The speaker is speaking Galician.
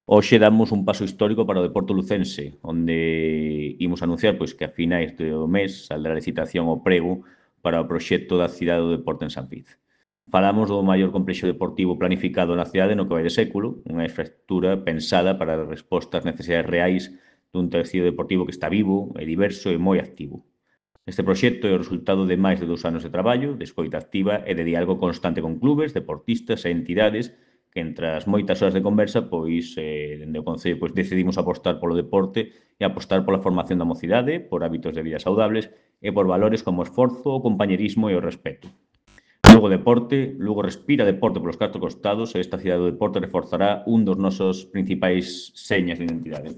Hoxe damos un paso histórico para o deporte lucense, onde imos anunciar pois, que a finais do mes saldrá a licitación ao prego para o proxecto da cidade do deporte en San Viz. Falamos do maior complexo deportivo planificado na cidade no que vai de século, unha infraestructura pensada para dar resposta ás necesidades reais dun tecido deportivo que está vivo, é diverso e moi activo. Este proxecto é o resultado de máis de 2 anos de traballo, de escoita activa e de diálogo constante con clubes, deportistas e entidades que entre as moitas horas de conversa, dende o Concello, decidimos apostar polo deporte e apostar pola formación da mocidade, por hábitos de vida saudables e por valores como o esforzo, o compañerismo e o respeto. Lugo respira deporte polos 4 costados e esta cidade do deporte reforzará un dos nosos principais señas de identidade.